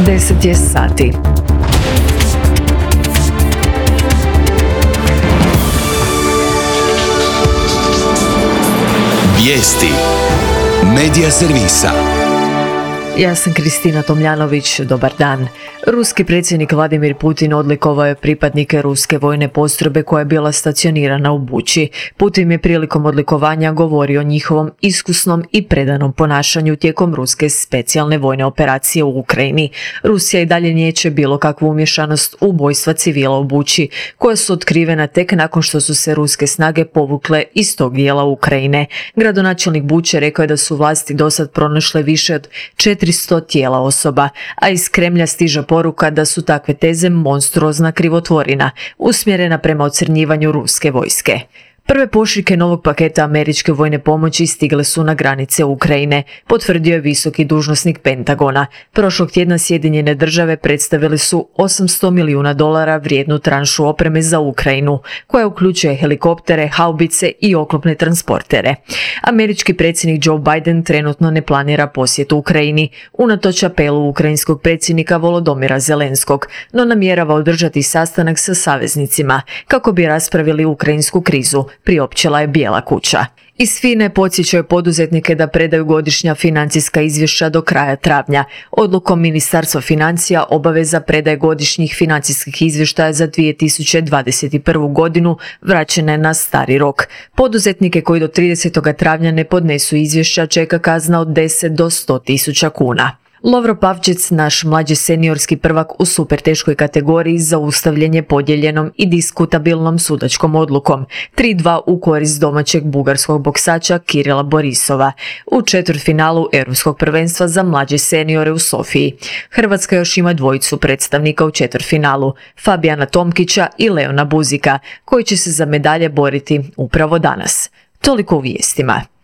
10 je sati. Vijesti Medija servisa. Ja sam Kristina Tomljanović, dobar dan. Ruski predsjednik Vladimir Putin odlikovao je pripadnike ruske vojne postrojbe koja je bila stacionirana u Buči. Putin je prilikom odlikovanja govorio o njihovom iskusnom i predanom ponašanju tijekom ruske specijalne vojne operacije u Ukrajini. Rusija i dalje niječe bilo kakvu umješanost u ubojstva civila u Buči, koja su otkrivena tek nakon što su se ruske snage povukle iz tog dijela Ukrajine. Gradonačelnik Buče rekao je da su vlasti dosad pronašle više od 400 tijela osoba, a iz Kremlja stiže poruka da su takve teze monstruozna krivotvorina, usmjerena prema ocrnjivanju ruske vojske. Prve pošiljke novog paketa američke vojne pomoći stigle su na granice Ukrajine, potvrdio je visoki dužnosnik Pentagona. Prošlog tjedna Sjedinjene države predstavili su $800 milijuna vrijednu tranšu opreme za Ukrajinu, koja uključuje helikoptere, haubice i oklopne transportere. Američki predsjednik Joe Biden trenutno ne planira posjet Ukrajini, unatoč apelu ukrajinskog predsjednika Volodomira Zelenskog, no namjerava održati sastanak sa saveznicima kako bi raspravili ukrajinsku krizu, priopćila je Bijela kuća. Iz FINA podsjećaju poduzetnike da predaju godišnja financijska izvješća do kraja travnja. Odlukom Ministarstva financija obaveza predaje godišnjih financijskih izvještaja za 2021. godinu vraćena je na stari rok. Poduzetnike koji do 30. travnja ne podnesu izvješća čeka kazna od 10 do 100 tisuća kuna. Lovro Pavčec, naš mlađi seniorski prvak u super teškoj kategoriji, zaustavljen je podijeljenom i diskutabilnom sudačkom odlukom 3-2 u korist domaćeg bugarskog boksača Kirila Borisova u četvrtfinalu Europskog prvenstva za mlađe seniore u Sofiji. Hrvatska još ima dvojicu predstavnika u četvrtfinalu, Fabijana Tomkića i Leona Buzika, koji će se za medalje boriti upravo danas. Toliko u vijestima.